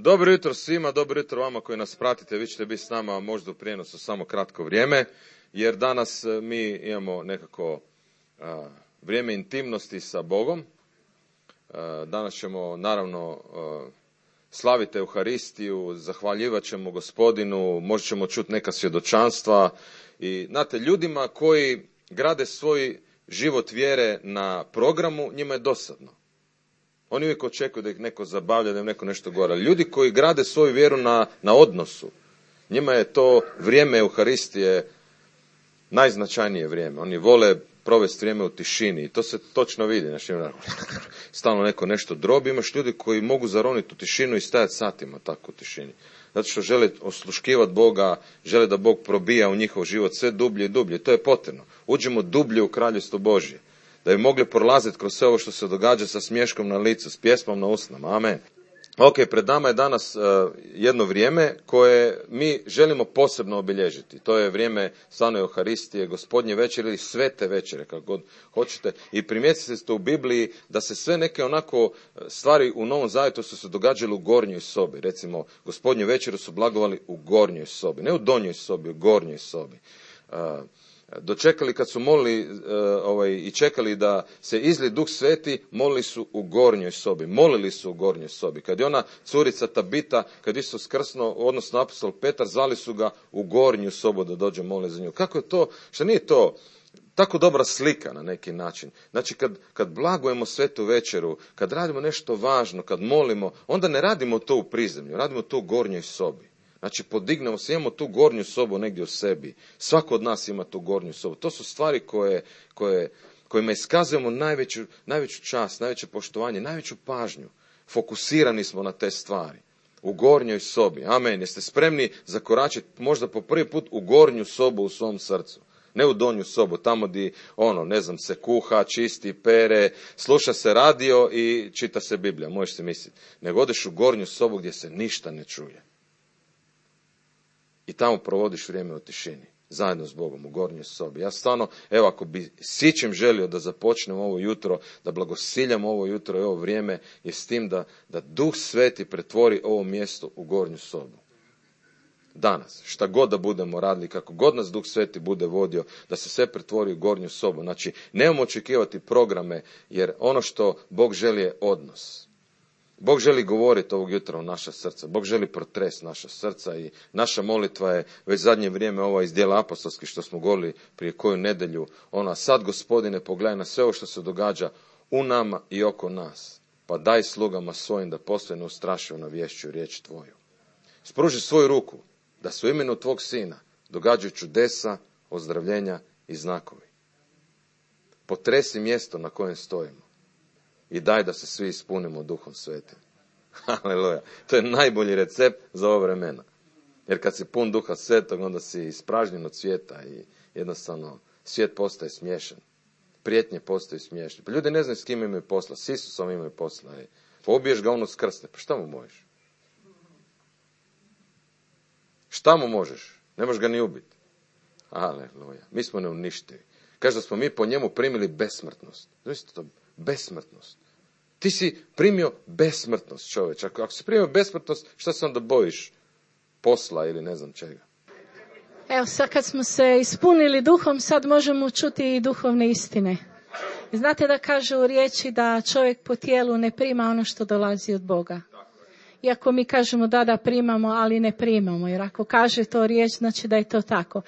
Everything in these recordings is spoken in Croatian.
Dobro jutro svima, dobro jutro vama koji nas pratite, vi ćete biti s nama možda u prijenosu samo kratko vrijeme, jer danas mi imamo nekako vrijeme intimnosti sa Bogom. Danas ćemo naravno slaviti Euharistiju, zahvaljivat ćemo Gospodinu, možda ćemo čuti neka svjedočanstva i znate, ljudima koji grade svoj život vjere na programu, njima je dosadno. Oni uvijek očekuju da ih neko zabavlja, da im neko nešto govori. Ljudi koji grade svoju vjeru na odnosu, njima je to vrijeme Euharistije najznačajnije vrijeme. Oni vole provesti vrijeme u tišini i to se točno vidi. Znači, stalno neko nešto drobi. Imaš ljudi koji mogu zaroniti u tišinu i stajati satima tako u tišini. Zato što žele osluškivati Boga, žele da Bog probija u njihov život sve dublje i dublje. To je potrebno. Uđemo dublje u kraljevstvo Božje. Da bi mogli prolaziti kroz sve ovo što se događa sa smješkom na licu, s pjesmom na usnama. Amen. Ok, pred nama je danas jedno vrijeme koje mi želimo posebno obilježiti. To je vrijeme stvarno Euharistije, Gospodnje večere ili Svete večere, kako god hoćete. I primijetite ste u Bibliji da se sve neke onako stvari u Novom Zavjetu su se događale u gornjoj sobi. Recimo, Gospodnju večeru su blagovali u gornjoj sobi, ne u donjoj sobi, u gornjoj sobi. Dočekali kad su molili i čekali da se izli Duh Sveti, molili su u gornjoj sobi. Molili su u gornjoj sobi. Kad je ona curica Tabita, kad Isus skrsnuo, odnosno apostol Petar, zvali su ga u gornju sobu da dođe moli za nju. Kako je to? Što nije to tako dobra slika na neki način? Znači kad blagujemo Svetu večeru, kad radimo nešto važno, kad molimo, onda ne radimo to u prizemlju, radimo to u gornjoj sobi. Znači, podignemo se, imamo tu gornju sobu negdje u sebi. Svako od nas ima tu gornju sobu. To su stvari kojima iskazujemo najveću čast, najveće poštovanje, najveću pažnju. Fokusirani smo na te stvari. U gornjoj sobi. Amen. Jeste spremni zakoračiti možda po prvi put u gornju sobu u svom srcu. Ne u donju sobu, tamo gdje, se kuha, čisti, pere, sluša se radio i čita se Biblija. Možeš si misliti. Nego odeš u gornju sobu gdje se ništa ne čuje. I tamo provodiš vrijeme u tišini, zajedno s Bogom, u gornjoj sobi. Ja stvarno, ako bi sićem želio da započnem ovo jutro, da blagosiljam ovo jutro i ovo vrijeme, je s tim da Duh Sveti pretvori ovo mjesto u gornju sobu. Danas, šta god da budemo radili, kako god nas Duh Sveti bude vodio, da se sve pretvori u gornju sobu. Znači, nemamo očekivati programe, jer ono što Bog želi je odnos. Bog želi govoriti ovog jutra u naša srca. Bog želi protresti naša srca i naša molitva je već zadnje vrijeme ova iz Djela apostolskih što smo govorili prije koju nedjelju. Sad, Gospodine, pogledaj na sve ovo što se događa u nama i oko nas. Pa daj slugama svojim da postoje neustrašivo navješćuju riječ Tvoju. Spruži svoju ruku da se u imenu Tvog Sina događaju čudesa, ozdravljenja i znakovi. Potresi mjesto na kojem stojimo. I daj da se svi ispunimo Duhom Svetim. Haleluja. To je najbolji recept za ovo vremena. Jer kad si pun Duha Svetog, onda si ispražnjen od svijeta i jednostavno svijet postaje smiješan. Prijetnje postaju smiješne. Pa ljudi ne znaju s kim imaju posla. S Isusom imaju posla. Pa ubiješ ga ono skrsne. Pa šta mu možeš? Šta mu možeš? Ne možeš ga ni ubiti. Haleluja. Mi smo neuništivi. Kaže da smo mi po njemu primili besmrtnost. Znači to besmrtnost. Ti si primio besmrtnost, čovječ. Ako si primio besmrtnost, šta se onda bojiš? Posla ili ne znam čega? Evo, sad kad smo se ispunili duhom, sad možemo čuti i duhovne istine. Znate da kaže u riječi da čovjek po tijelu ne prima ono što dolazi od Boga. Iako mi kažemo da primamo, ali ne primamo. Jer ako kaže to riječ, znači da je to tako.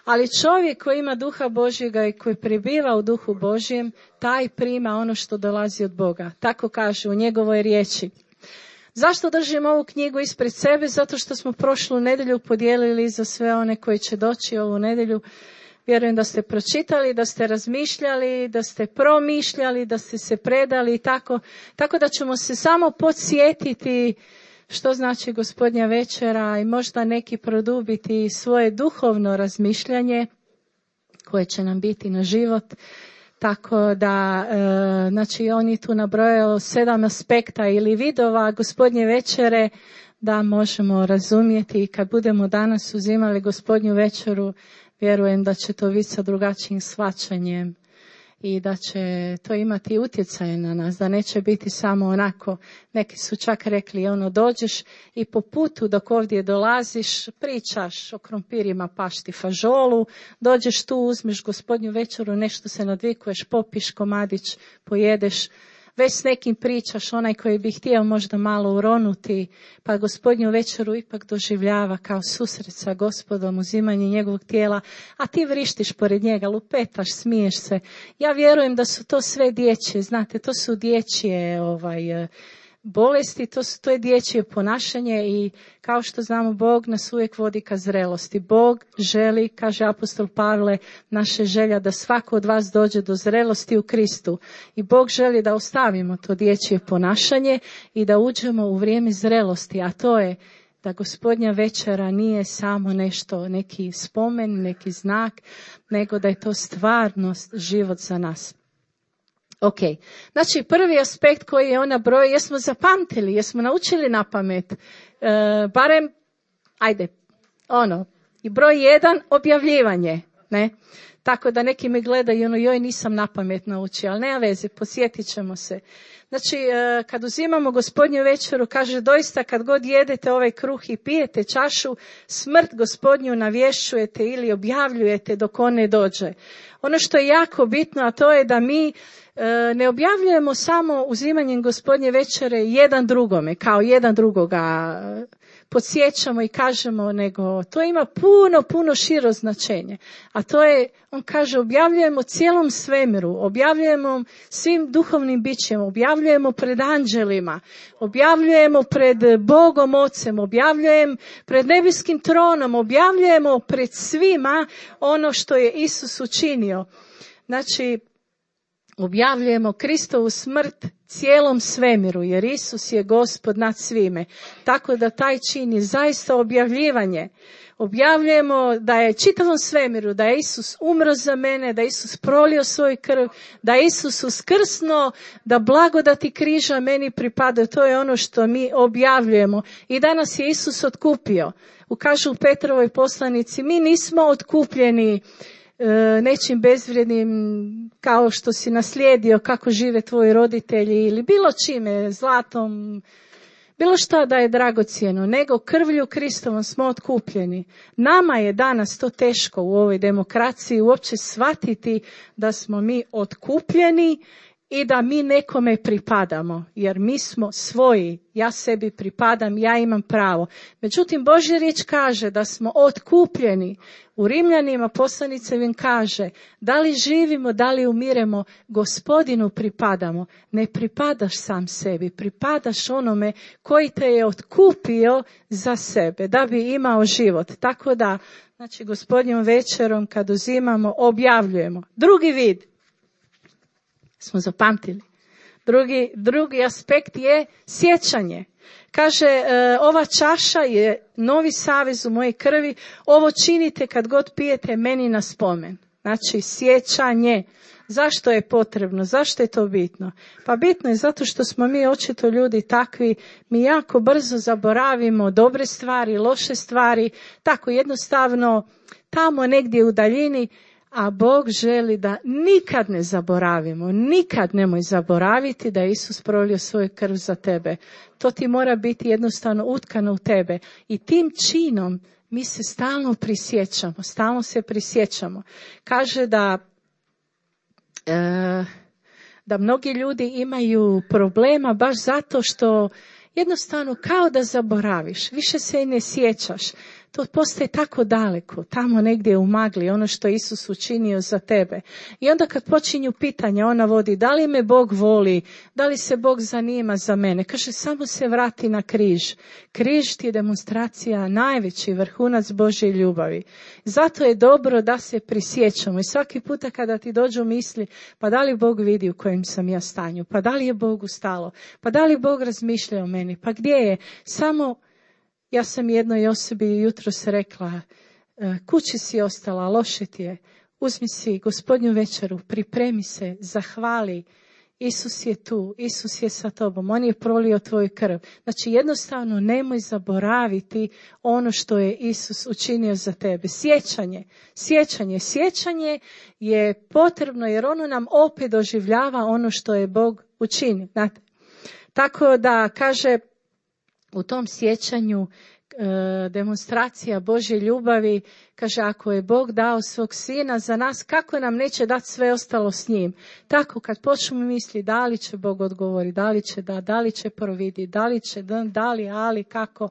Ali čovjek koji ima duha Božjega i koji prebiva u duhu Božjem, taj prima ono što dolazi od Boga. Tako kaže u njegovoj riječi. Zašto držim ovu knjigu ispred sebe? Zato što smo prošlu nedjelju podijelili za sve one koji će doći ovu nedjelju. Vjerujem da ste pročitali, da ste razmišljali, da ste promišljali, da ste se predali i tako da ćemo se samo podsjetiti što znači Gospodnja večera i možda neki produbiti svoje duhovno razmišljanje koje će nam biti na život. Tako da, znači on je tu nabrojao 7 aspekta ili vidova Gospodnje večere da možemo razumjeti i kad budemo danas uzimali Gospodnju večeru, vjerujem da će to biti sa drugačijim shvaćanjem i da će to imati utjecaj na nas, da neće biti samo onako, neki su čak rekli, dođeš i po putu dok ovdje dolaziš, pričaš o krompirima, pašti, fažolu, dođeš tu, uzmeš Gospodnju večeru, nešto se nadvikuješ, popiš komadić, pojedeš, već s nekim pričaš, onaj koji bi htio možda malo uronuti, pa Gospodnju večeru ipak doživljava kao susret sa Gospodom, uzimanje njegovog tijela, a ti vrištiš pored njega, lupetaš, smiješ se. Ja vjerujem da su to sve dječje, znate, to su dječje bolesti, to je dječje ponašanje i kao što znamo, Bog nas uvijek vodi ka zrelosti. Bog želi, kaže apostol Pavle, naše želja da svako od vas dođe do zrelosti u Kristu. I Bog želi da ostavimo to dječje ponašanje i da uđemo u vrijeme zrelosti, a to je da Gospodnja večera nije samo nešto, neki spomen, neki znak, nego da je to stvarnost, život za nas. Ok, znači prvi aspekt koji je ona broj, jesmo zapamtili, jesmo naučili na pamet, barem, i broj 1, objavljivanje, ne? Tako da neki me gledaju, joj nisam na pamet naučio, ali nema veze, posjetit ćemo se. Znači, kad uzimamo Gospodnju večeru, kaže doista kad god jedete ovaj kruh i pijete čašu, smrt Gospodnju navješćujete ili objavljujete dok on ne dođe. Ono što je jako bitno, a to je da mi ne objavljujemo samo uzimanjem Gospodnje večere jedan drugome, kao jedan drugoga podsjećamo i kažemo, nego to ima puno širo značenje. A to je, on kaže, objavljujemo cijelom svemiru, objavljujemo svim duhovnim bićima, objavljujemo pred anđelima, objavljujemo pred Bogom Ocem, objavljujem pred nebeskim tronom, objavljujemo pred svima ono što je Isus učinio. Znači, objavljujemo Kristovu smrt cijelom svemiru, jer Isus je Gospod nad svime. Tako da taj čin je zaista objavljivanje. Objavljujemo da je čitavom svemiru, da je Isus umro za mene, da je Isus prolio svoju krv, da je Isus uskrsnuo, da blagodati križa meni pripadaju. To je ono što mi objavljujemo. I danas je Isus otkupio. Kažu u Petrovoj poslanici, mi nismo otkupljeni nečim bezvrijednim kao što si naslijedio, kako žive tvoji roditelji ili bilo čime, zlatom, bilo šta da je dragocjeno, nego krvlju Kristovom smo otkupljeni. Nama je danas to teško u ovoj demokraciji uopće shvatiti da smo mi otkupljeni i da mi nekome pripadamo, jer mi smo svoji, ja sebi pripadam, ja imam pravo. Međutim, Božja riječ kaže da smo otkupljeni. U Rimljanima poslanicevim kaže, da li živimo, da li umiremo, Gospodinu pripadamo. Ne pripadaš sam sebi, pripadaš onome koji te je otkupio za sebe, da bi imao život. Tako da, znači, Gospodnjom večerom kad uzimamo, objavljujemo. Drugi vid. Smo zapamtili. Drugi aspekt je sjećanje. Kaže, ova čaša je novi savez u mojej krvi, ovo činite kad god pijete meni na spomen. Znači, sjećanje. Zašto je potrebno? Zašto je to bitno? Pa bitno je zato što smo mi očito ljudi takvi, mi jako brzo zaboravimo dobre stvari, loše stvari, tako jednostavno tamo negdje u daljini, a Bog želi da nikad ne zaboravimo, nikad nemoj zaboraviti da je Isus prolio svoju krv za tebe. To ti mora biti jednostavno utkano u tebe. I tim činom mi se stalno prisjećamo. Kaže da mnogi ljudi imaju problema baš zato što jednostavno kao da zaboraviš, više se i ne sjećaš. To postaje tako daleko, tamo negdje u magli, ono što je Isus učinio za tebe. I onda kad počinju pitanja, ona vodi, da li me Bog voli, da li se Bog zanima za mene. Kaže, samo se vrati na križ. Križ ti je demonstracija, najveći vrhunac Božje ljubavi. Zato je dobro da se prisjećamo. I svaki puta kada ti dođu misli, pa da li Bog vidi u kojem sam ja stanju, pa da li je Bogu stalo, pa da li Bog razmišlja o meni, pa gdje je, samo... Ja sam jednoj osobi jutros rekla, kući si ostala, loše ti je, uzmi si Gospodnju večeru, pripremi se, zahvali Isus je tu, Isus je sa tobom, on je prolio tvoju krv. Znači jednostavno nemoj zaboraviti ono što je Isus učinio za tebe. Sjećanje je potrebno jer ono nam opet doživljava ono što je Bog učinio. Znate? Tako da kaže u tom sjećanju demonstracija Božje ljubavi, kaže ako je Bog dao svog sina za nas, kako nam neće dati sve ostalo s njim. Tako kad počnemo misliti da li će Bog odgovoriti, da li će providiti, ali kako,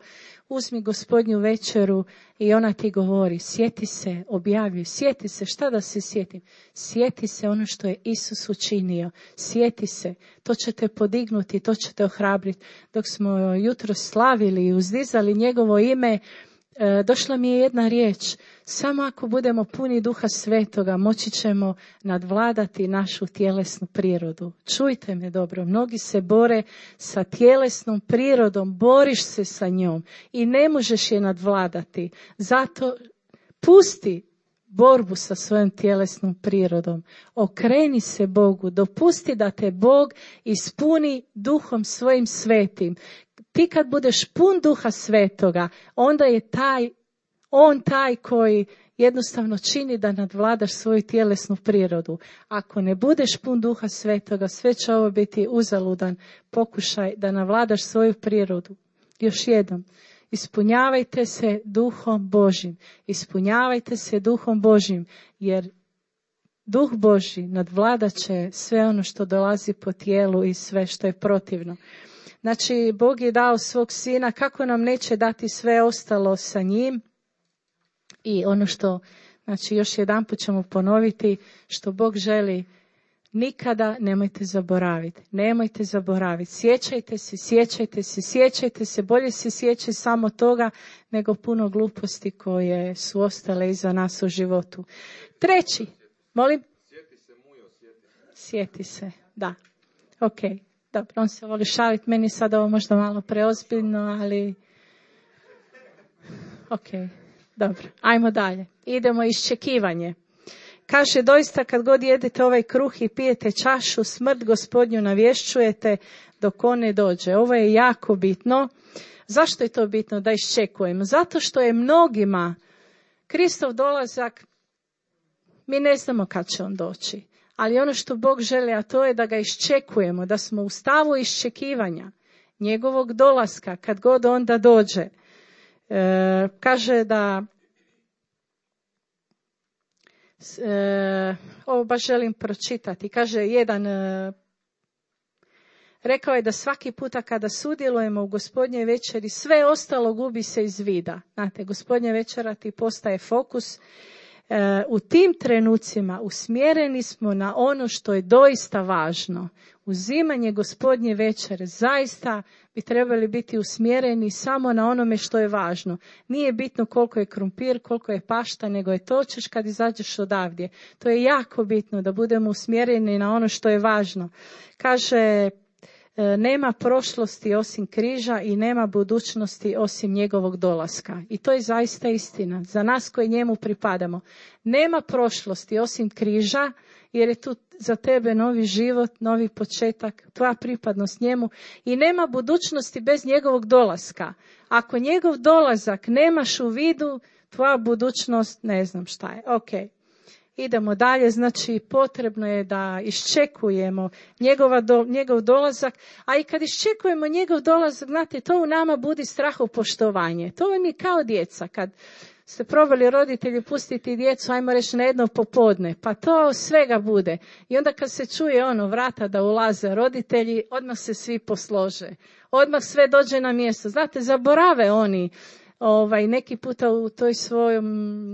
uzmi Gospodnju večeru i ona ti govori, sjeti se, objavljuj, sjeti se, šta da se sjetim? Sjeti se ono što je Isus učinio, sjeti se, to će te podignuti, to će te ohrabriti. Dok smo jutro slavili i uzdizali njegovo ime, došla mi je jedna riječ, samo ako budemo puni Duha Svetoga moći ćemo nadvladati našu tjelesnu prirodu. Čujte me dobro, mnogi se bore sa tjelesnom prirodom, boriš se sa njom i ne možeš je nadvladati. Zato pusti borbu sa svojom tjelesnom prirodom. Okreni se Bogu, dopusti da te Bog ispuni Duhom svojim svetim. Ti kad budeš pun Duha Svetoga, onda je on taj koji jednostavno čini da nadvladaš svoju tjelesnu prirodu. Ako ne budeš pun Duha Svetoga, sve će ovo biti uzaludan pokušaj da navladaš svoju prirodu. Još jednom, ispunjavajte se Duhom Božjim. Ispunjavajte se Duhom Božjim, jer Duh Božji nadvladat će sve ono što dolazi po tijelu i sve što je protivno. Znači, Bog je dao svog sina, kako nam neće dati sve ostalo sa njim? I ono što, znači još jedanput ćemo ponoviti, što Bog želi, nikada nemojte zaboraviti. Sjećajte se, bolje se sjećaj samo toga nego puno gluposti koje su ostale iza nas u životu. Treći, molim? Sjeti se, da, ok. Dobro, on se voli šaliti, meni sad ovo možda malo preozbiljno, ali ok, dobro, ajmo dalje. Idemo iščekivanje. Kaže, doista kad god jedete ovaj kruh i pijete čašu, smrt Gospodnju navješćujete dok on ne dođe. Ovo je jako bitno. Zašto je to bitno da iščekujemo? Zato što je mnogima Kristov dolazak, mi ne znamo kad će on doći. Ali ono što Bog želi, a to je da ga iščekujemo, da smo u stavu iščekivanja njegovog dolaska, kad god onda dođe. Kaže da, ovo baš želim pročitati, kaže jedan, rekao je da svaki puta kada sudjelujemo u Gospodnjoj večeri, sve ostalo gubi se iz vida. Znate, Gospodnja večera ti postaje fokus. U tim trenucima usmjereni smo na ono što je doista važno. Uzimanje Gospodnje večere zaista bi trebali biti usmjereni samo na onome što je važno. Nije bitno koliko je krumpir, koliko je pašta, nego je to ćeš kad izađeš odavdje. To je jako bitno da budemo usmjereni na ono što je važno. Kaže, nema prošlosti osim križa i nema budućnosti osim njegovog dolaska. I to je zaista istina. Za nas koji njemu pripadamo. Nema prošlosti osim križa, jer je tu za tebe novi život, novi početak, tvoja pripadnost njemu. I nema budućnosti bez njegovog dolaska. Ako njegov dolazak nemaš u vidu, tvoja budućnost ne znam šta je. Ok. Idemo dalje, znači potrebno je da iščekujemo njegov dolazak, a i kad iščekujemo njegov dolazak, znate, to u nama budi strahopoštovanje. To vam je kao djeca, kad ste probali roditelji pustiti djecu, ajmo reći na jedno popodne, pa to svega bude. I onda kad se čuje vrata da ulaze roditelji, odmah se svi poslože, odmah sve dođe na mjesto. Znate, zaborave oni, neki puta u toj svojom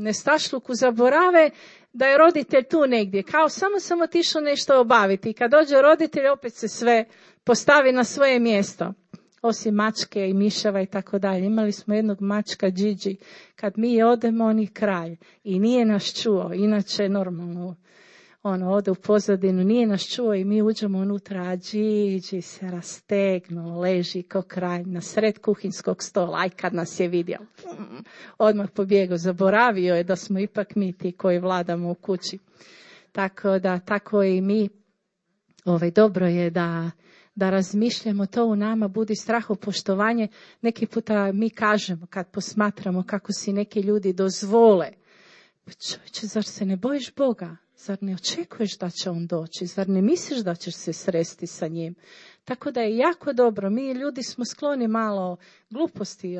nestašluku zaborave da je roditelj tu negdje, kao samo otišao nešto obaviti. I kad dođe roditelj, opet se sve postavi na svoje mjesto. Osim mačke i miševa i tako dalje. Imali smo jednog mačka Gigi. Kad mi odemo, on je kralj. I nije nas čuo. Inače, normalno, ode u pozadinu, nije nas čuo i mi uđemo unutra, a Gigi se rastegnuo, leži ko kralj na sred kuhinskog stola. Aj kad nas je vidio, odmah pobjegao, zaboravio je da smo ipak mi ti koji vladamo u kući. Tako da, tako i mi dobro je da razmišljamo to u nama, budi strahopoštovanje. Neki puta mi kažemo kad posmatramo kako si neki ljudi dozvole. Pa čovječe, zar se ne bojiš Boga? Zar ne očekuješ da će on doći? Zar ne misliš da ćeš se sresti sa njim? Tako da je jako dobro. Mi ljudi smo skloni malo gluposti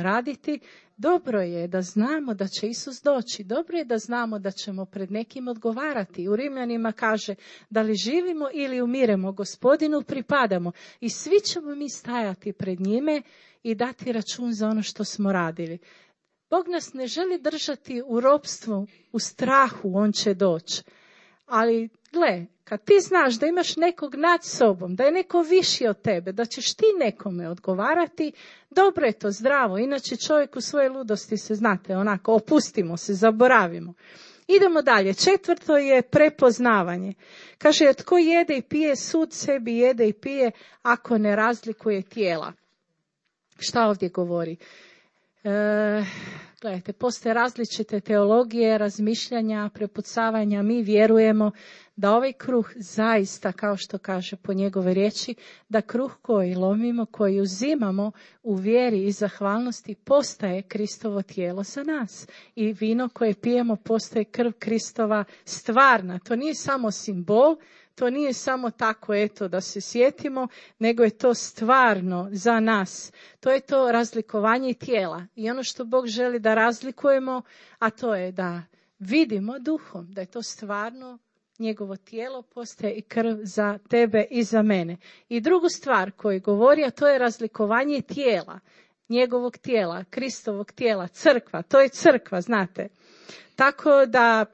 raditi. Dobro je da znamo da će Isus doći. Dobro je da znamo da ćemo pred nekim odgovarati. U Rimljanima kaže da li živimo ili umiremo, Gospodinu pripadamo. I svi ćemo mi stajati pred njime i dati račun za ono što smo radili. Bog nas ne želi držati u ropstvu, u strahu, on će doći. Ali, gle, kad ti znaš da imaš nekog nad sobom, da je neko viši od tebe, da ćeš ti nekome odgovarati, dobro je to, zdravo. Inače čovjek u svoje ludosti se, znate, onako, opustimo se, zaboravimo. Idemo dalje. 4. je prepoznavanje. Kaže, tko jede i pije, sud sebi jede i pije, ako ne razlikuje tijela. Šta ovdje govori? Gledajte, postoje različite teologije, razmišljanja, prepucavanja. Mi vjerujemo da ovaj kruh zaista, kao što kaže po njegove riječi, da kruh koji lomimo, koji uzimamo u vjeri i zahvalnosti postaje Kristovo tijelo za nas. I vino koje pijemo postaje krv Kristova stvarna. To nije samo simbol, to nije samo tako, eto, da se sjetimo, nego je to stvarno za nas. To je to razlikovanje tijela. I ono što Bog želi da razlikujemo, a to je da vidimo duhom, da je to stvarno njegovo tijelo, postaje i krv za tebe i za mene. I drugu stvar koju govori, a to je razlikovanje tijela, njegovog tijela, Kristovog tijela, crkva. To je crkva, znate. Tako da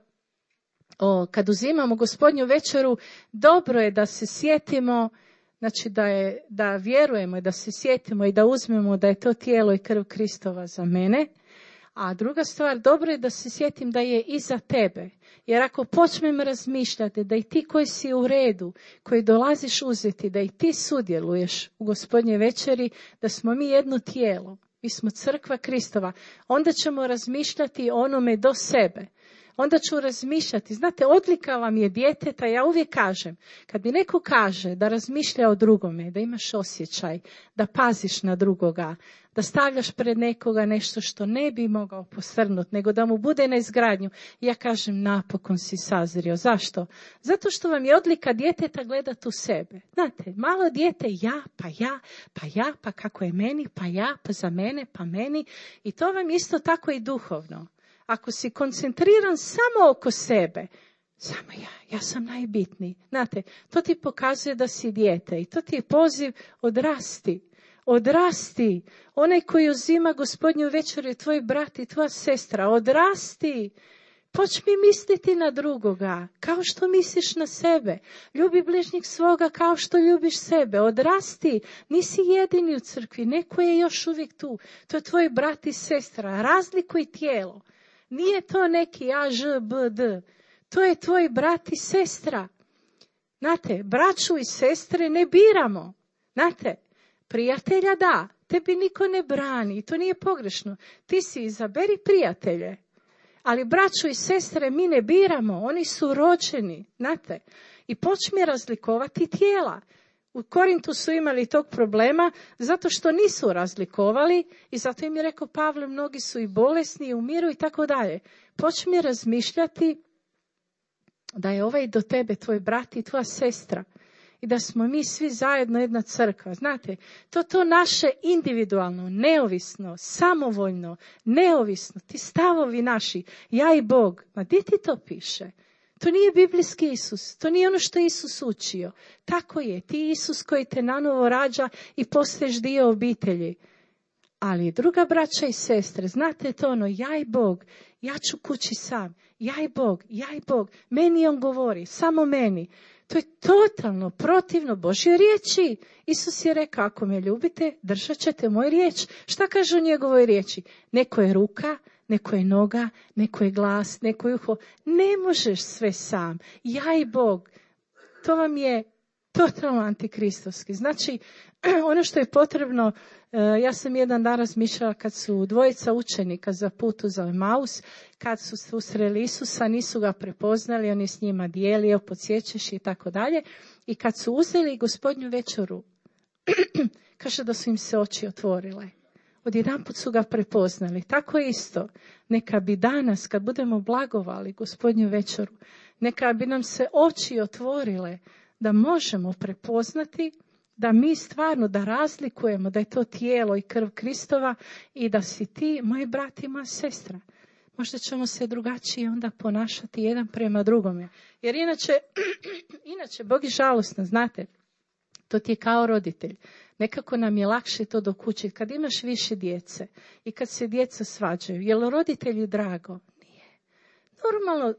kad uzimamo Gospodnju večeru, dobro je da se sjetimo, znači da vjerujemo i da se sjetimo i da uzmemo da je to tijelo i krv Kristova za mene. A druga stvar, dobro je da se sjetim da je i za tebe. Jer ako počnem razmišljati da i ti koji si u redu, koji dolaziš uzeti, da i ti sudjeluješ u Gospodnjoj večeri, da smo mi jedno tijelo, mi smo crkva Kristova, onda ćemo razmišljati o onome do sebe. Onda ću razmišljati, znate, odlika vam je djeteta, ja uvijek kažem, kad mi neko kaže da razmišlja o drugome, da imaš osjećaj, da paziš na drugoga, da stavljaš pred nekoga nešto što ne bi mogao posrnuti, nego da mu bude na izgradnju, ja kažem, napokon si sazrio. Zašto? Zato što vam je odlika djeteta gledati u sebe. Znate, malo dijete, pa kako je meni, pa ja, pa za mene, pa meni. I to vam isto tako i duhovno. Ako si koncentriran samo oko sebe, samo ja sam najbitniji. Znate, to ti pokazuje da si dijete i to ti je poziv odrasti. Onaj koji uzima Gospodnju večeru je tvoj brat i tvoja sestra. Odrasti. Počni misliti na drugoga, kao što misliš na sebe. Ljubi bližnjeg svoga kao što ljubiš sebe. Odrasti, nisi jedini u crkvi, neko je još uvijek tu. To je tvoj brat i sestra. Razlikuj tijelo. Nije to neki A, Ž, B, D. To je tvoj brat i sestra. Znate, braću i sestre ne biramo. Znate, prijatelja da, tebi niko ne brani. To nije pogrešno. Ti si izaberi prijatelje. Ali braću i sestre mi ne biramo. Oni su rođeni. Znate, i počmi razlikovati tijela. U Korintu su imali tog problema zato što nisu razlikovali i zato im je rekao Pavle, mnogi su i bolesni i umiru i tako dalje. Počmi razmišljati da je ovaj do tebe tvoj brat i tvoja sestra i da smo mi svi zajedno jedna crkva. Znate, to naše individualno, neovisno, samovoljno, neovisno, ti stavovi naši, ja i Bog, ma gdje ti to piše? To nije biblijski Isus, to nije ono što je Isus učio. Tako je, ti Isus koji te nanovo rađa i postaješ dio obitelji. Ali druga braća i sestre, znate to ono, ja i Bog, ja ću kući sam, ja i Bog, meni on govori, samo meni. To je totalno protivno Božjoj riječi. Isus je rekao, ako me ljubite, držat ćete moju riječ. Šta kaže u njegovoj riječi? Neko je ruka, neko je noga, neko je glas, neko je uho. Ne možeš sve sam. Ja i Bog. To vam je totalno antikristovski. Znači, ono što je potrebno, ja sam jedan dan razmišljala kad su dvojica učenika za putu za Emaus, kad su susreli Isusa, nisu ga prepoznali, on je s njima dijelio, podsjećaš i tako dalje. I kad su uzeli Gospodnju večeru, kaže da su im se oči otvorile. Odjedanput su ga prepoznali. Tako isto, neka bi danas, kad budemo blagovali Gospodnju večeru, neka bi nam se oči otvorile da možemo prepoznati da mi stvarno, da razlikujemo da je to tijelo i krv Kristova i da si ti, moj brat i moja sestra. Možda ćemo se drugačije onda ponašati jedan prema drugome. Jer inače Bog je žalostan, znate, to ti je kao roditelj. Nekako nam je lakše to dokučiti. Kad imaš više djece i kad se djeca svađaju, je li roditelju drago? Nije. Normalno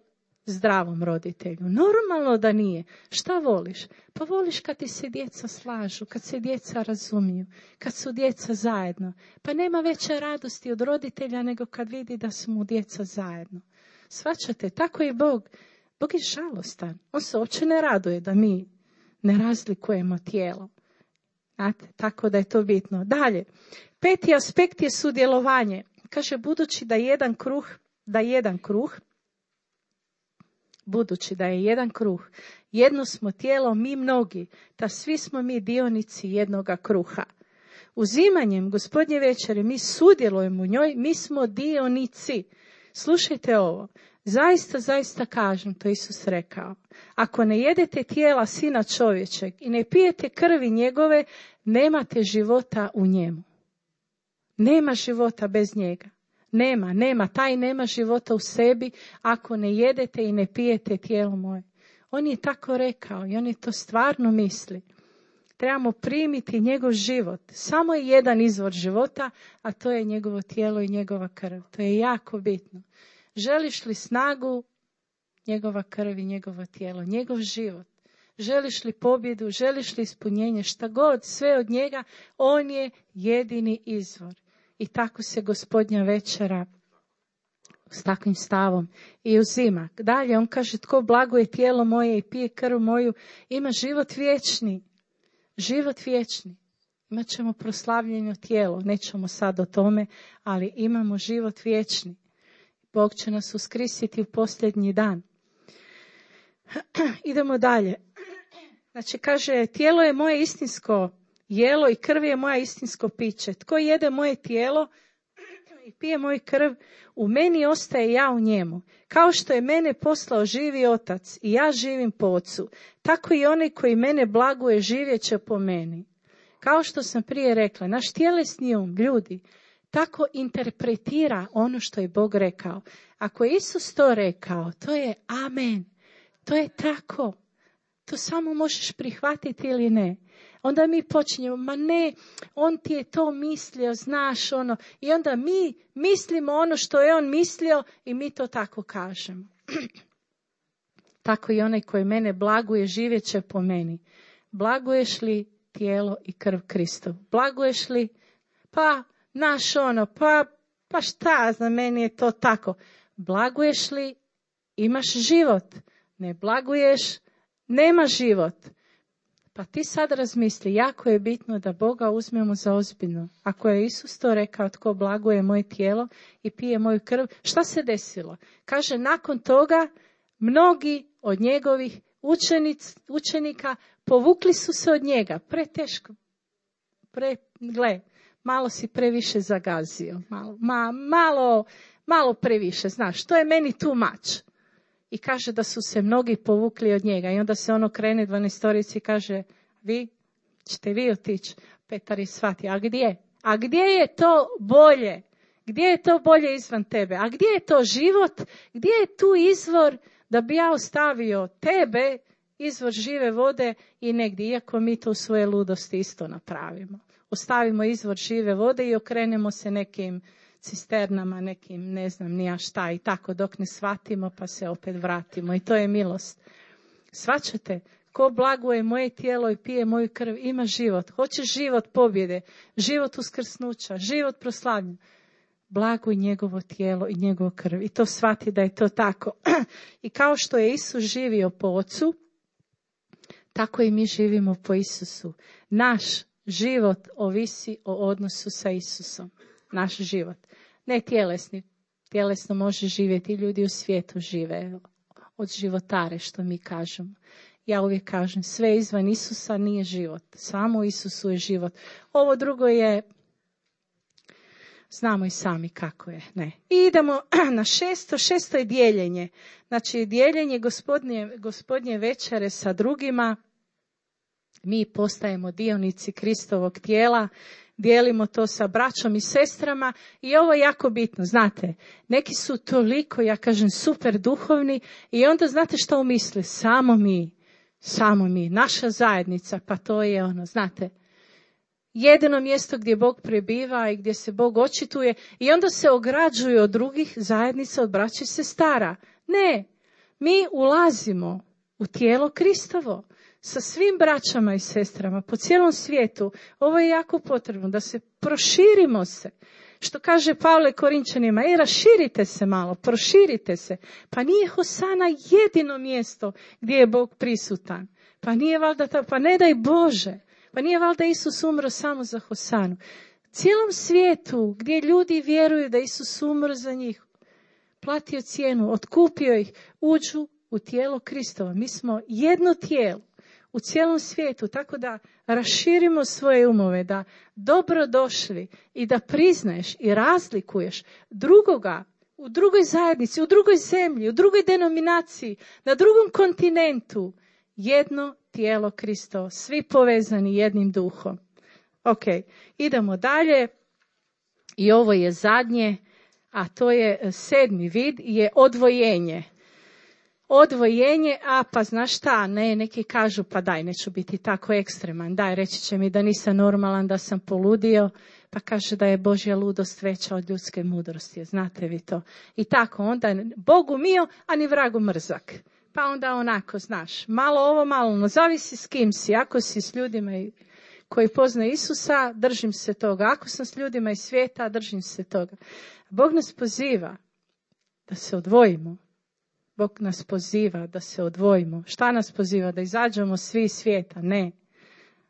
zdravom roditelju. Normalno da nije. Šta voliš? Pa voliš kad ti se djeca slažu, kad se djeca razumiju, kad su djeca zajedno. Pa nema veće radosti od roditelja nego kad vidi da su mu djeca zajedno. Shvaćate, tako je Bog. Bog je žalostan. On se uopće ne raduje da mi ne razlikujemo tijelo. Znate, tako da je to bitno. Dalje, 5. aspekt je sudjelovanje. Kaže, budući da je jedan kruh, jedno smo tijelo, mi mnogi, ta svi smo mi dionici jednoga kruha. Uzimanjem Gospodnje večere mi sudjelujemo u njoj, mi smo dionici. Slušajte ovo, zaista kažem, to Isus rekao. Ako ne jedete tijela Sina čovječeg i ne pijete krvi njegove, nemate života u njemu. Nema života bez njega. Taj nema života u sebi ako ne jedete i ne pijete tijelo moje. On je tako rekao i on je to stvarno misli. Trebamo primiti njegov život. Samo je jedan izvor života, a to je njegovo tijelo i njegova krv. To je jako bitno. Želiš li snagu? Njegova krv i njegovo tijelo, njegov život. Želiš li pobjedu? Želiš li ispunjenje? Šta god, sve od njega, on je jedini izvor. I tako se Gospodnja večera s takvim stavom i uzima. Dalje on kaže, tko blaguje tijelo moje i pije krv moju, ima život vječni. Život vječni. Imat ćemo proslavljeno tijelo, nećemo sad o tome, ali imamo život vječni. Bog će nas uskrsiti u posljednji dan. Idemo dalje. Znači kaže, tijelo je moje istinsko jelo i krv je moja istinsko piće. Tko jede moje tijelo i pije moju krv, u meni ostaje, ja u njemu. Kao što je mene poslao živi Otac i ja živim po Ocu, tako i onaj koji mene blaguje živjet će po meni. Kao što sam prije rekla, naš tjelesni um, ljudi, tako interpretira ono što je Bog rekao. Ako je Isus to rekao, to je amen. To je tako. To samo možeš prihvatiti ili ne. Onda mi počinjemo, ma ne, on ti je to mislio, znaš ono. I onda mi mislimo ono što je on mislio i mi to tako kažemo. Tako i onaj koji mene blaguje živjet će po meni. Blaguješ li tijelo i krv Kristov? Blaguješ li? Pa, naš ono, pa šta, za meni je to tako. Blaguješ li? Imaš život. Ne blaguješ? Nema život. Pa ti sad razmisli, jako je bitno da Boga uzmemo za ozbiljno. Ako je Isus to rekao, tko blaguje moje tijelo i pije moju krv, šta se desilo? Kaže, nakon toga mnogi od njegovih učenika povukli su se od njega. Preteško. Gle, malo si previše zagazio. Malo previše, znaš, to je meni too much. I kaže da su se mnogi povukli od njega. I onda se ono krene 12 i kaže, ćete vi otići? Petar je shvatio, a gdje? A gdje je to bolje? Gdje je to bolje izvan tebe? A gdje je to život? Gdje je tu izvor da bi ja ostavio tebe, izvor žive vode i negdje, iako mi to u svoje ludosti isto napravimo. Ostavimo izvor žive vode i okrenemo se nekim cisternama, nekim ne znam nija šta i tako dok ne shvatimo pa se opet vratimo i to je milost. Shvaćate? Ko blaguje moje tijelo i pije moju krv ima život. Hoće život pobjede, život uskrsnuća, život proslavljen. Blaguj njegovo tijelo i njegovo krv i to shvati da je to tako. I kao što je Isus živio po Ocu, Tako i mi živimo po Isusu. Naš život ovisi o odnosu sa Isusom. Naš život. Ne tjelesni. Tjelesno može živjeti. Ljudi u svijetu žive od životare, što mi kažemo. Ja uvijek kažem, sve izvan Isusa nije život. Samo u Isusu je život. Ovo drugo je, znamo i sami kako je. Ne. I idemo na 6. 6. je dijeljenje. Znači, dijeljenje gospodnje večere sa drugima. Mi postajemo dionici Kristovog tijela. Dijelimo to sa braćom i sestrama i ovo je jako bitno, znate, neki su toliko, ja kažem, super duhovni i onda znate što umisle, samo mi, naša zajednica, pa to je ono, znate, jedino mjesto gdje Bog prebiva i gdje se Bog očituje i onda se ograđuju od drugih zajednica, od braća i sestara. Ne, mi ulazimo u tijelo Kristovo. Sa svim braćama i sestrama po cijelom svijetu. Ovo je jako potrebno da se proširimo se. Što kaže Pavle Korinčanima, raširite se malo, proširite se. Pa nije Hosana jedino mjesto gdje je Bog prisutan. Pa nije valjda pa ne daj Bože. Pa nije valjda Isus umro samo za Hosanu. Cijelom svijetu gdje ljudi vjeruju da Isus umro za njih, platio cijenu, otkupio ih, uđu u tijelo Kristova. Mi smo jedno tijelo u cijelom svijetu, tako da raširimo svoje umove, da dobro došli i da priznaješ i razlikuješ drugoga u drugoj zajednici, u drugoj zemlji, u drugoj denominaciji, na drugom kontinentu. Jedno tijelo Kristovo, svi povezani jednim duhom. Ok, idemo dalje i ovo je zadnje, a to je 7. vid, je odvojenje. Odvojenje, pa znaš šta, neki kažu, pa daj, neću biti tako ekstreman, daj, reći će mi da nisam normalan, da sam poludio, pa kaže da je Božja ludost veća od ljudske mudrosti, znate vi to. I tako, onda Bogu mio, a ni vragu mrzak. Pa onda onako, znaš, malo ovo, malo ono, zavisi s kim si, ako si s ljudima koji poznaju Isusa, držim se toga, ako sam s ljudima iz svijeta, držim se toga. Bog nas poziva da se odvojimo. Bog nas poziva da se odvojimo. Šta nas poziva? Da izađemo svi iz svijeta? Ne.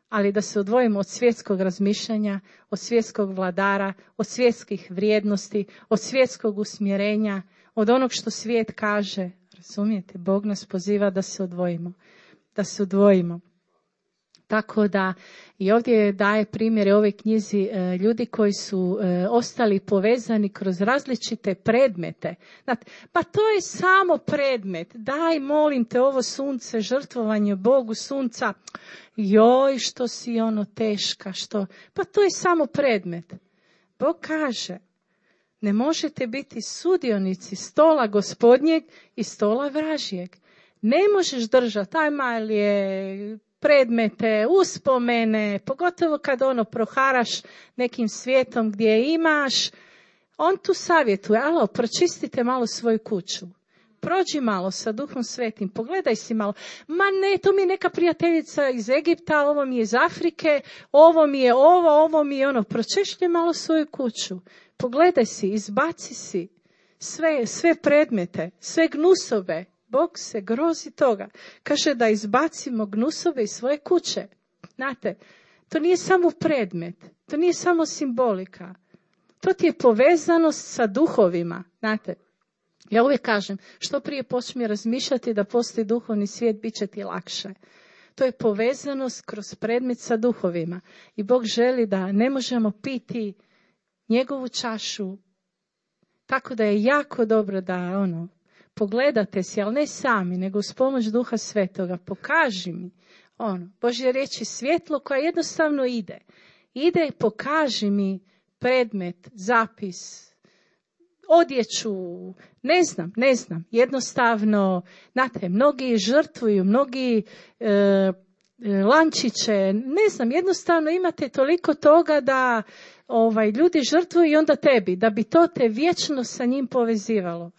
Ali da se odvojimo od svjetskog razmišljanja, od svjetskog vladara, od svjetskih vrijednosti, od svjetskog usmjerenja, od onog što svijet kaže. Razumijete? Bog nas poziva da se odvojimo. Da se odvojimo. Tako da i ovdje daje primjere ove knjizi ljudi koji su ostali povezani kroz različite predmete. Znate, pa to je samo predmet. Daj, molim te, ovo sunce, žrtvovanje Bogu sunca. Joj, što si ono teška, što... Pa to je samo predmet. Bog kaže, ne možete biti sudionici stola gospodnjeg i stola vražjeg. Ne možeš držati, ajma je... predmete, uspomene, pogotovo kad proharaš nekim svijetom gdje imaš, on tu savjetuje, alo, pročistite malo svoju kuću. Prođi malo sa Duhom Svetim, pogledaj si malo. Ma ne, to mi je neka prijateljica iz Egipta, ovo mi je iz Afrike, ovo mi je ovo mi je ono. Pročešlji malo svoju kuću. Pogledaj si, izbaci si sve predmete, sve gnusove. Bog se grozi toga. Kaže da izbacimo gnusove iz svoje kuće. Znate, to nije samo predmet, to nije samo simbolika. To ti je povezanost sa duhovima. Znate, ja uvijek kažem, što prije počne razmišljati da postoji duhovni svijet, bit će ti lakše. To je povezanost kroz predmet sa duhovima. I Bog želi da ne možemo piti njegovu čašu. Tako da je jako dobro da pogledate si, ali ne sami, nego uz pomoć Duha Svetoga. Pokaži mi Božja riječ je svjetlo koja jednostavno ide. Ide, pokaži mi predmet, zapis, odjeću, ne znam. Jednostavno, znate, mnogi žrtvuju, mnogi lančiće, ne znam, jednostavno imate toliko toga da ljudi žrtvuju i onda tebi, da bi to te vječno sa njim povezivalo.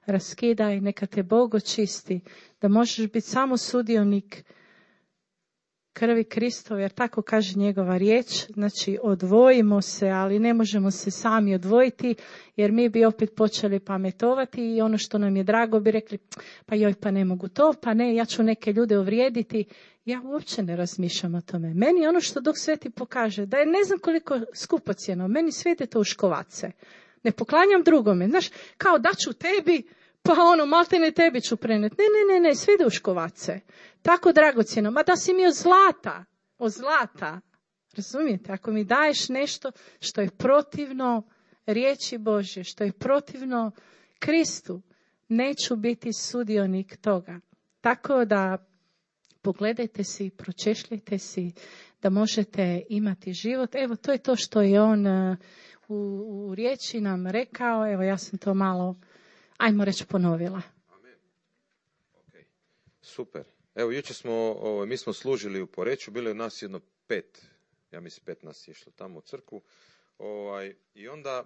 Raskidaj, neka te Bog očisti, da možeš biti samo sudionik krvi Kristove, jer tako kaže njegova riječ. Znači, odvojimo se, ali ne možemo se sami odvojiti, jer mi bi opet počeli pametovati i ono što nam je drago bi rekli, pa joj, pa ne mogu to, pa ne, ja ću neke ljude uvrijediti. Ja uopće ne razmišljam o tome. Meni ono što Duh Sveti pokaže, da je ne znam koliko skupocjeno, meni sve ide to u škovace. Ne poklanjam drugome. Znaš, kao da ću tebi, pa maltene tebi ću preneti. Ne, sve ide u škovace. Tako dragocjeno. Ma da si mi od zlata. Razumijete? Ako mi daješ nešto što je protivno riječi Božje, što je protivno Kristu, neću biti sudionik toga. Tako da pogledajte si, pročešljajte si da možete imati život. Evo, to je to što je on u riječi nam rekao. Evo, ja sam to malo, ajmo reći, ponovila. Amen. Okay. Super. Evo, jučer mi smo služili u Poreču, bilo je nas jedno 5, ja mislim 5 nas je išlo tamo u crkvu. I onda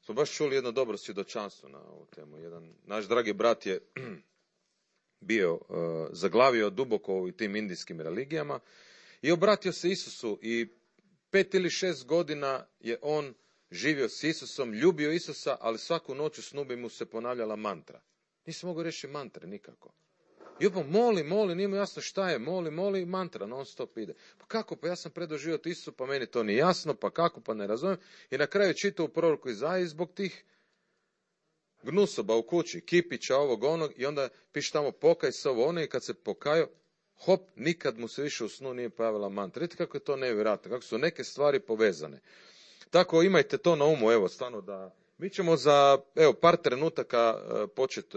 smo baš čuli jedno dobro svjedočanstvo na ovu temu. Jedan naš dragi brat je bio zaglavio duboko u tim indijskim religijama i obratio se Isusu i 5 ili 6 godina je on živio s Isusom, ljubio Isusa, ali svaku noć u snu bi mu se ponavljala mantra. Nisam mogao reći mantre nikako. I opet moli, nije mu jasno šta je, moli, mantra, non stop ide. Pa kako, pa ja sam predao život Isusu, pa meni to nije jasno, pa kako, pa ne razumijem. I na kraju čitao u proroku Izaiji zbog tih gnusoba u kući, kipića, ovog, onog, i onda piše tamo pokaj se ovo, ono, i kad se pokajao, hop, nikad mu se više u snu nije pojavila mantra. Vidite kako je to nevjerojatno, kako su neke stvari povezane. Tako imajte to na umu, evo, stvarno da... Mi ćemo za, par trenutaka početi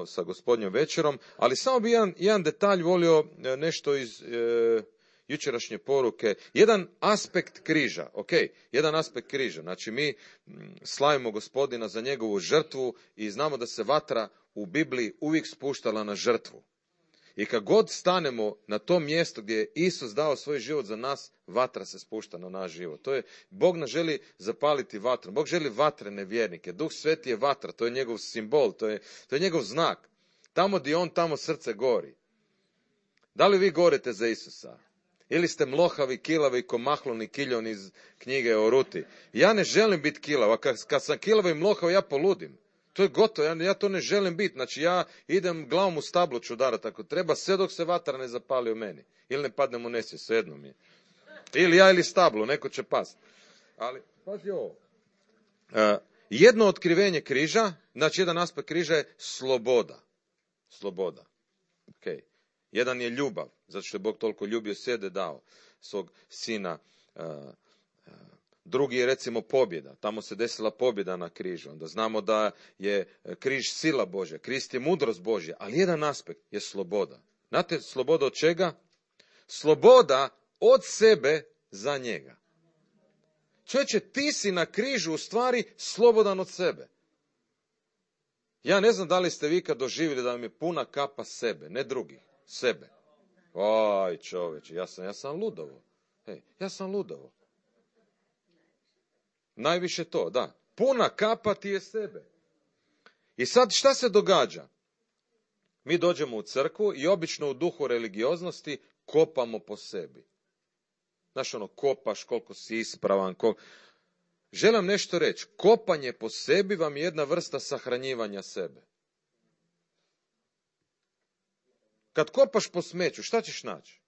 sa Gospodnjom večerom, ali samo bi jedan detalj volio nešto iz jučerašnje poruke. Jedan aspekt križa, jedan aspekt križa. Znači, mi slavimo Gospodina za njegovu žrtvu i znamo da se vatra u Bibliji uvijek spuštala na žrtvu. I kad god stanemo na to mjesto gdje je Isus dao svoj život za nas, vatra se spušta na naš život. To je, Bog nas želi zapaliti vatru. Bog želi vatrene vjernike. Duh Sveti je vatra, to je njegov simbol, to je njegov znak. Tamo gdje on, tamo srce gori. Da li vi gorite za Isusa? Ili ste mlohavi, kilavi, ko Mahlon i Kiljon iz knjige o Ruti? Ja ne želim biti kilav, a kad sam kilav i mlohav, ja poludim. To je gotovo, ja to ne želim biti. Znači, ja idem glavom u stablo ću udarati ako treba, sve dok se vatra ne zapali u meni. Ili ne padnem u nesvijest, svejedno mi je. Ili ja ili stablo, neko će past. Ali, pazi ovo. Jedno otkrivenje križa, znači jedan aspekt križa je sloboda. Sloboda. Okay. Jedan je ljubav, zato što je Bog toliko ljubio sebe dao svog sina. Drugi je recimo pobjeda. Tamo se desila pobjeda na križu. Onda znamo da je križ sila Božja. Krist je mudrost Božja. Ali jedan aspekt je sloboda. Znate, sloboda od čega? Sloboda od sebe za njega. Čovječe, ti si na križu u stvari slobodan od sebe. Ja ne znam da li ste vi kad doživjeli da vam je puna kapa sebe, ne drugih, sebe. Oj, čovječe, ja sam ludovo. Ja sam ludovo. Najviše to, da. Puna kapa ti je sebe. I sad šta se događa? Mi dođemo u crkvu i obično u duhu religioznosti kopamo po sebi. Znaš, kopaš koliko si ispravan. Želim nešto reći. Kopanje po sebi vam je jedna vrsta sahranjivanja sebe. Kad kopaš po smeću, šta ćeš naći?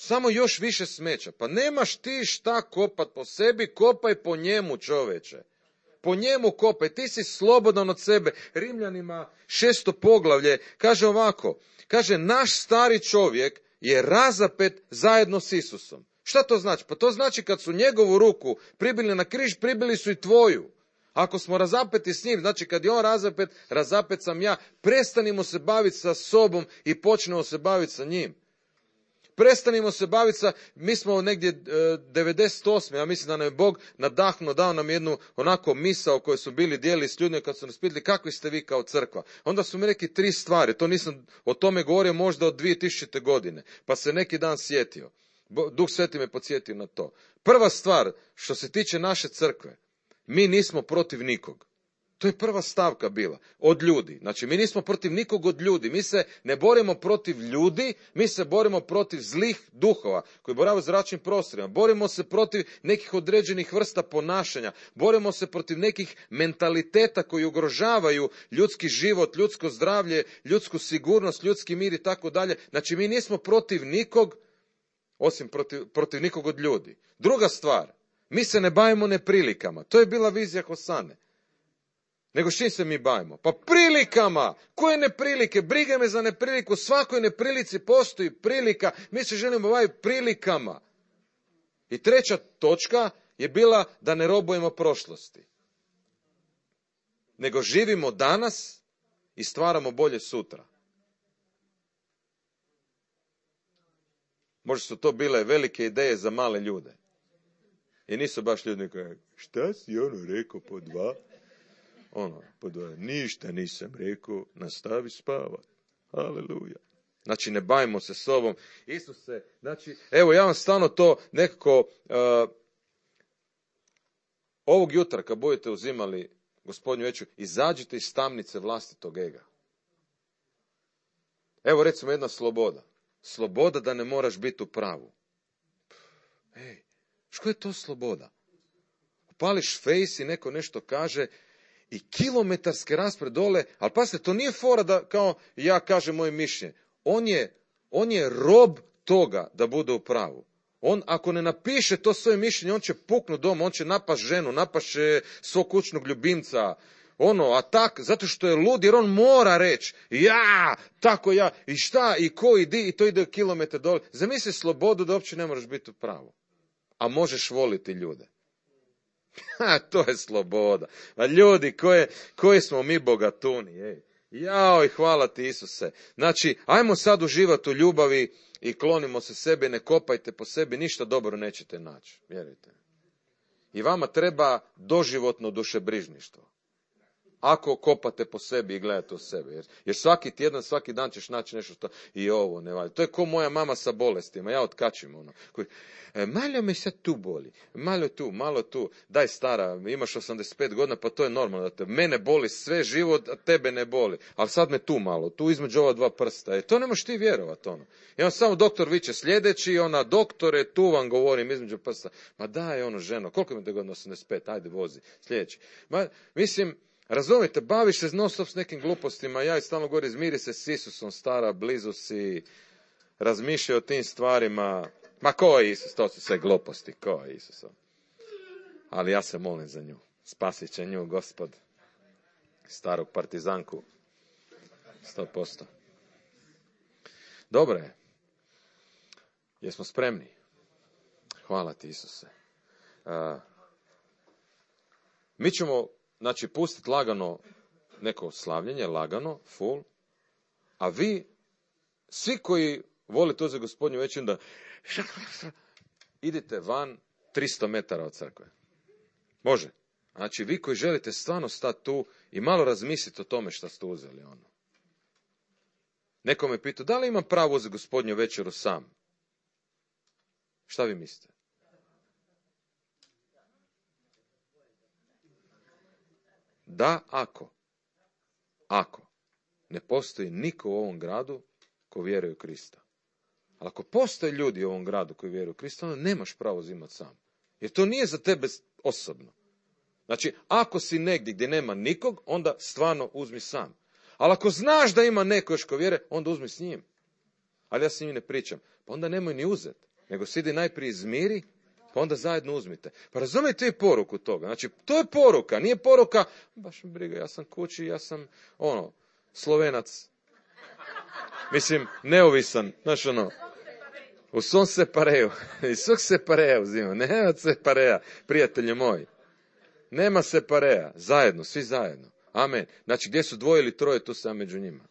Samo još više smeća. Pa nemaš ti šta kopat po sebi, kopaj po njemu, čoveče. Po njemu kopaj, ti si slobodan od sebe. Rimljanima 6. poglavlje kaže ovako, kaže naš stari čovjek je razapet zajedno s Isusom. Šta to znači? Pa to znači kad su njegovu ruku pribili na križ, pribili su i tvoju. Ako smo razapeti s njim, znači kad je on razapet sam ja, prestanimo se baviti sa sobom i počnemo se baviti sa njim. Prestanimo se baviti mi smo negdje 98. Ja mislim da nam je Bog nadahnuo, dao nam jednu onako misao koju su bili dijelili s ljudima kad su nas pitali kakvi ste vi kao crkva. Onda su mi rekli 3 stvari, to nisam o tome govorio možda od 2000. godine, pa se neki dan sjetio. Duh Sveti me podsjetio na to. Prva stvar, što se tiče naše crkve, mi nismo protiv nikog. To je prva stavka bila. Od ljudi. Znači, mi nismo protiv nikog od ljudi. Mi se ne borimo protiv ljudi, mi se borimo protiv zlih duhova koji boravaju u zračnim prostorima. Borimo se protiv nekih određenih vrsta ponašanja. Borimo se protiv nekih mentaliteta koji ugrožavaju ljudski život, ljudsko zdravlje, ljudsku sigurnost, ljudski mir i tako dalje. Znači, mi nismo protiv nikog, osim protiv nikog od ljudi. Druga stvar, mi se ne bavimo neprilikama. To je bila vizija Hosane. Nego čim se mi bavimo? Pa prilikama! Koje neprilike? Briga me za nepriliku. U svakoj neprilici postoji prilika. Mi se želimo baviti prilikama. I treća točka je bila da ne robujemo prošlosti. Nego živimo danas i stvaramo bolje sutra. Možda su to bile velike ideje za male ljude. I nisu baš ljudi koji, šta si rekao po 2? Po 2, ništa nisam rekao, nastavi spavat. Haleluja. Znači, ne bavimo se sobom. Isuse, znači, evo, ja vam stalno to nekako, ovog jutra, kad budete uzimali Gospodnju večeru, izađite iz tamnice vlastitog ega. Evo, recimo, jedna sloboda. Sloboda da ne moraš biti u pravu. Ej, što je to sloboda? Upališ face i neko nešto kaže i kilometarske rasprave dole, ali pazite, to nije fora da kao ja kažem moje mišljenje. On je rob toga da bude u pravu. On, ako ne napiše to svoje mišljenje, on će puknuti doma, on će napast ženu, napaše svog kućnog ljubimca, zato što je lud, jer on mora reći, tako ja, i šta, i ko, i di, i to ide kilometar dole. Zamisli slobodu da uopće ne moraš biti u pravu, a možeš voliti ljude. To je sloboda. A ljudi, koji smo mi bogatuni, Jao i hvala ti Isuse. Znači, ajmo sad uživati u ljubavi i klonimo se sebi, ne kopajte po sebi, ništa dobro nećete naći, vjerujte. I vama treba doživotno dušebrižništvo. Ako kopate po sebi i gledate u sebe. Jer svaki tjedan, svaki dan ćeš naći nešto što i ovo ne valja. To je ko moja mama sa bolestima. Ja otkačim malo me sad tu boli. Malo tu. Daj stara, imaš 85 godina, pa to je normalno. Da mene boli sve život, a tebe ne boli. Ali sad me tu malo, tu između ova 2 prsta. To ne možeš ti vjerovati. I on samo doktor viče sljedeći, doktore, tu vam govorim između prsta. Ma daj ženo, koliko imate godina? 85, ajde vozi, sljedeći. Mislim, razumijete, baviš se non stop s nekim glupostima, ja i stalno govorim, izmiri se s Isusom, stara, blizu si, razmišljaj o tim stvarima. Ma ko je Isus, to su sve gluposti, ko je Isus? Ali ja se molim za nju, spasit će nju Gospod, staru partizanku, 100%. Dobro je, jesmo spremni? Hvala ti Isuse. Mi ćemo pustiti lagano neko slavljenje, lagano, full, a vi, svi koji volite uzeti Gospodnju večeru, da idite van 300 metara od crkve. Može. Znači, vi koji želite stvarno stati tu i malo razmisliti o tome što ste uzeli. Neko me pitao, da li imam pravo uzeti Gospodnju večeru sam? Šta vi mislite? Da, ako ne postoji niko u ovom gradu ko vjeruje u Krista. Ali ako postoje ljudi u ovom gradu koji vjeruju u Krista, onda nemaš pravo uzimati sam. Jer to nije za tebe osobno. Znači, ako si negdje gdje nema nikog, onda stvarno uzmi sam. Ali ako znaš da ima neko još ko vjeruje, onda uzmi s njim. Ali ja s njim ne pričam. Pa onda nemoj ni uzeti. Nego sidi najprije izmiri, pa onda zajedno uzmite. Pa razumijete i poruku toga. Znači, to je poruka. Nije poruka, baš mi briga, ja sam kući, ja sam, Slovenac. Mislim, neovisan. Znaš, u svom separeju. Iz svog separeja uzimam. Nema separeja, prijatelji moji. Nema separeja. Zajedno, svi zajedno. Amen. Znači, gdje su 2 ili 3, tu sam među njima.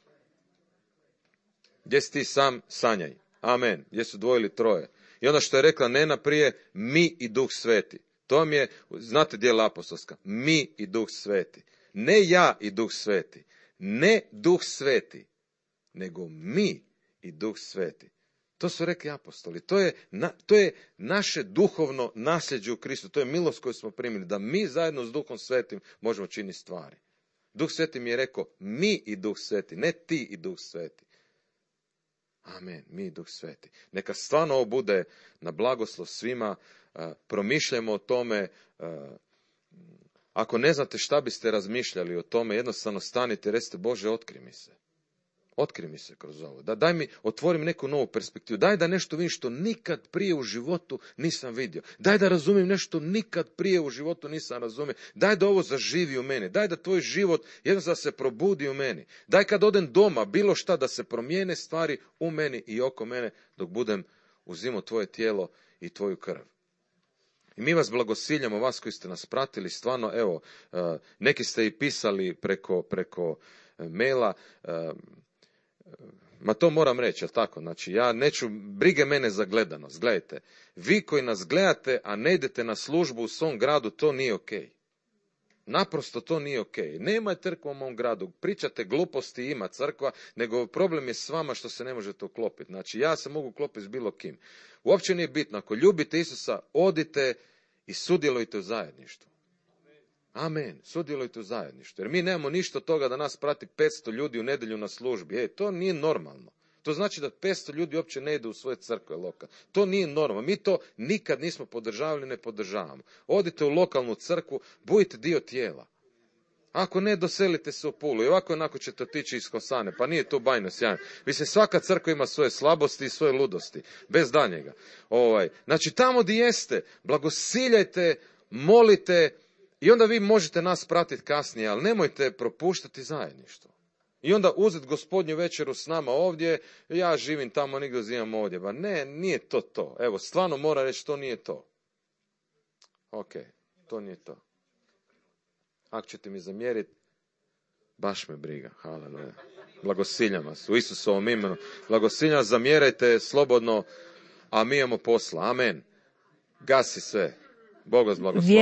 Gdje si ti sam, sanjaj. Amen. Gdje su 2 ili 3. I ono što je rekla Nena prije, mi i Duh Sveti. To vam je, znate djela apostolska, mi i Duh Sveti. Ne ja i Duh Sveti. Ne Duh Sveti. Nego mi i Duh Sveti. To su rekli apostoli. To je naše duhovno nasljeđe u Kristu. To je milost koju smo primili. Da mi zajedno s Duhom Svetim možemo činiti stvari. Duh Sveti mi je rekao, mi i Duh Sveti, ne ti i Duh Sveti. Amen, mi i Duh Sveti. Neka stvarno ovo bude na blagoslov svima, promišljajmo o tome. Ako ne znate šta biste razmišljali o tome, jednostavno stanite i recite, Bože, otkri mi se. Otkri mi se kroz ovo. Daj mi, otvorim neku novu perspektivu. Daj da nešto vidim što nikad prije u životu nisam vidio. Daj da razumijem nešto nikad prije u životu nisam razumio. Daj da ovo zaživi u meni. Daj da tvoj život jednostavno se probudi u meni. Daj kad odem doma, bilo šta, da se promijene stvari u meni i oko mene, dok budem uzimao tvoje tijelo i tvoju krv. I mi vas blagosiljamo, vas koji ste nas pratili, stvarno, evo, neki ste i pisali preko maila, ma to moram reći, jel tako? Znači, ja neću, brige mene za gledanost. Gledajte, vi koji nas gledate, a ne idete na službu u svom gradu, to nije okej. Naprosto to nije okej. Nema crkva u mom gradu, pričate gluposti, ima crkva, nego problem je s vama što se ne možete uklopiti. Znači, ja se mogu uklopiti s bilo kim. Uopće nije bitno, ako ljubite Isusa, odite i sudjelujte u zajedništvu. Amen, sudjelujte u zajedništvu. Jer mi nemamo ništa od toga da nas prati 500 ljudi u nedjelju na službi. To nije normalno. To znači da 500 ljudi uopće ne ide u svoje crkve lokalne. To nije normalno. Mi to nikad nismo podržavali, ne podržavamo. Odite u lokalnu crkvu, budite dio tijela. Ako ne, doselite se u Pulu. I ovako onako ćete otići iz Kosane. Pa nije to bajno sjajno. Mislim, svaka crkva ima svoje slabosti i svoje ludosti. Bez daljnjega. Znači, tamo gdje jeste, blagosiljajte, molite, i onda vi možete nas pratiti kasnije, ali nemojte propuštati zajedništvo. I onda uzeti gospodnju večeru s nama ovdje, ja živim tamo, nigdje zivam ovdje. Ba ne, nije to. Evo, stvarno mora reći, to nije to. Ok, to nije to. Ako ćete mi zamjeriti, baš me briga. Haleluja. Blagosiljam vas u Isusovom imenu. Blagosiljam vas, zamjerajte slobodno, a mi imamo posla. Amen. Gasi sve. Bog vas blagoslovi.